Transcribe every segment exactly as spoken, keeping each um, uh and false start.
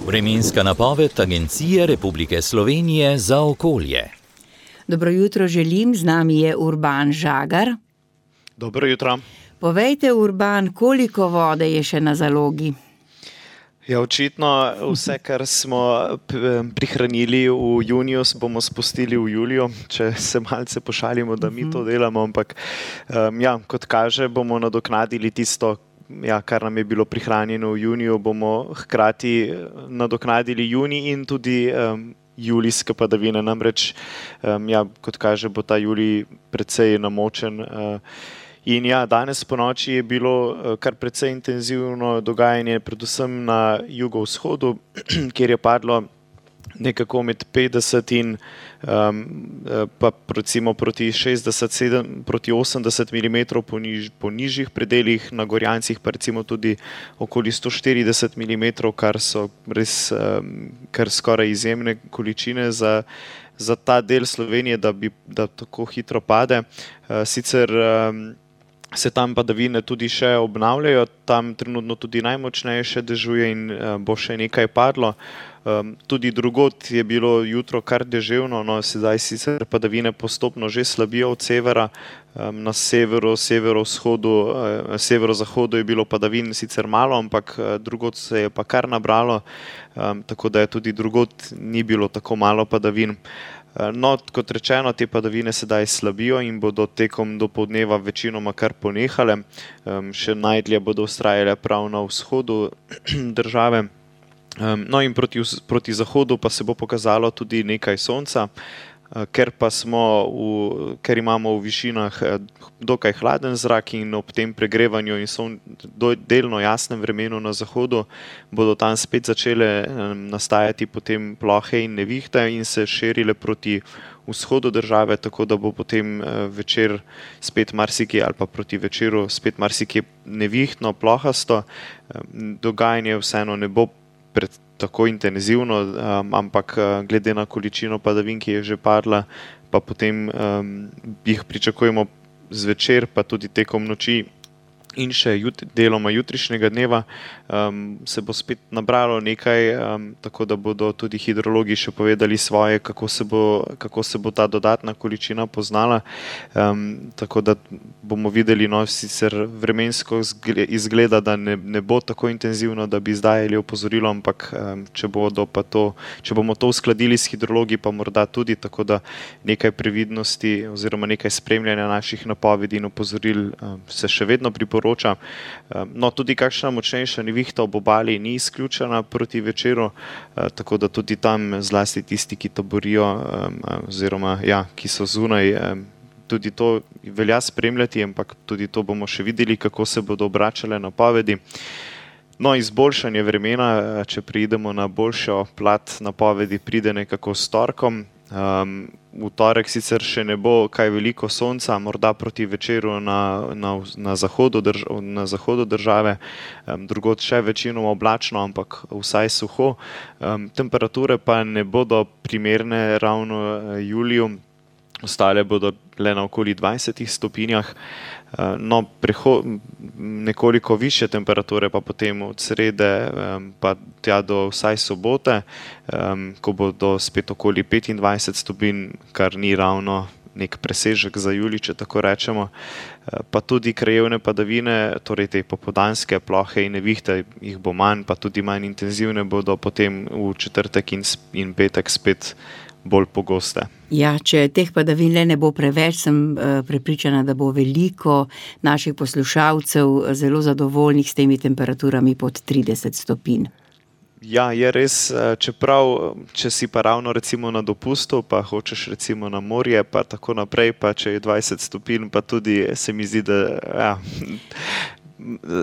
Vremenska napoved Agencije Republike Slovenije za okolje. Dobro jutro želim, z nami je Urban Žagar. Dobro jutro. Povejte, Urban, koliko vode je še na zalogi? Ja, očitno vse, kar smo prihranili v juniju, bomo spustili v juliju, če se malce pošalimo, da mi to delamo, ampak um, ja, kot kaže, bomo nadoknadili tisto, ja, kar nam je bilo prihranjeno v juniju, bomo hkrati nadoknadili junij in tudi um, julijske padavine. Namreč, um, ja, kot kaže, bo ta julij precej namočen. Uh, In ja, danes po noči je bilo kar precej intenzivno dogajanje, predvsem na jugovzhodu, kjer je padlo nekako med petdeset in um, pa recimo proti šestdeset, sedem, proti osemdeset milimetrov po, niž, po nižjih predeljih, na Gorjancih pa recimo tudi okoli sto štirideset milimetrov, kar so res um, kar skoraj izjemne količine za, za ta del Slovenije, da bi da tako hitro pade. Uh, sicer um, se tam padavine tudi še obnavljajo, tam trenutno tudi najmočneje še dežuje in bo še nekaj padlo. Um, tudi drugod je bilo jutro kar deževno, no sedaj sicer padavine postopno že slabijo od severa, um, na severu, severovzhodu, uh, severozahodu je bilo padavin sicer malo, ampak uh, drugod se je pa kar nabralo, um, tako da je tudi drugod ni bilo tako malo padavin. No, kot rečeno, te padavine sedaj slabijo in bodo tekom dopoldneva večinoma kar ponehale. Um, še najdlje bodo vztrajale prav na vzhodu države. Um, no in proti, proti zahodu pa se bo pokazalo tudi nekaj sonca, uh, ker pa smo v, ker imamo v višinah dokaj hladen zrak in ob tem pregrevanju in son, do, delno jasnem vremenu na zahodu bodo tam spet začele um, nastajati potem plohe in nevihte in se širile proti vzhodu države, tako da bo potem uh, večer spet marsikje ali pa proti večeru spet marsikje nevihtno, plohasto. Um, dogajanje vseeno ne bo pred tako intenzivno, um, ampak uh, glede na količino padavin, ki je že padla, pa potem um, jih pričakujemo zvečer, pa tudi tekom noči in še jut, deloma jutrišnjega dneva um, se bo spet nabralo nekaj, um, tako da bodo tudi hidrologi še povedali svoje, kako se bo, kako se bo ta dodatna količina poznala. Um, tako da bomo videli, no, sicer vremensko izgleda, da ne, ne bo tako intenzivno, da bi izdajali opozorilo, ampak um, če, bodo pa to, če bomo to uskladili s hidrologi, pa morda tudi, tako da nekaj previdnosti oziroma nekaj spremljanja naših napovedi in opozoril um, se še vedno priporoča. No, tudi kakšna močnejša nevihta ob obali ni izključena proti večeru, tako da tudi tam zlasti tisti, ki taborijo oziroma ja, ki so zunaj, tudi to velja spremljati, ampak tudi to bomo še videli, kako se bodo obračale napovedi. No, izboljšanje vremena, če preidemo na boljšo plat napovedi, pride nekako s torkom. Um, v torek sicer še ne bo kaj veliko sonca, morda proti večeru na, na, na, zahodu, drž, na zahodu države, um, drugod še večinoma oblačno, ampak vsaj suho. Um, temperature pa ne bodo primerne ravno uh, juliju, ostale bodo le na okoli dvajsetih stopinjah. Uh, no, preho, nekoliko više temperature pa potem od srede um, pa tja do vsaj sobote, um, ko bodo spet okoli petindvajset stopinj, kar ni ravno nek presežek za julij, če tako rečemo. Uh, pa tudi krajevne padavine, torej te popoldanske plohe in nevihte, jih bo manj, pa tudi manj intenzivne bodo potem v četrtek in, in petek spet bolj pogoste. Ja, če teh padavin le ne bo preveč, sem uh, prepričana, da bo veliko naših poslušalcev zelo zadovoljnih s temi temperaturami pod trideset stopinj. Ja, je res, čeprav, če si pa ravno recimo na dopustu, pa hočeš recimo na morje, pa tako naprej, pa če je dvajset stopinj, pa tudi se mi zdi, da ja,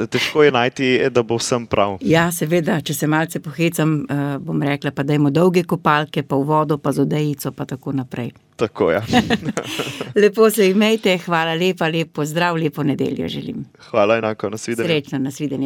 težko je najti, da bo vsem prav. Ja, seveda, če se malce pohecam, bom rekla, pa dajmo dolge kopalke, pa v vodo, pa z odejico, pa tako naprej. Tako, ja. Lepo se imejte, hvala lepa, lep pozdrav, lepo nedeljo želim. Hvala enako, nasvidenje. Srečno, nasvidenje.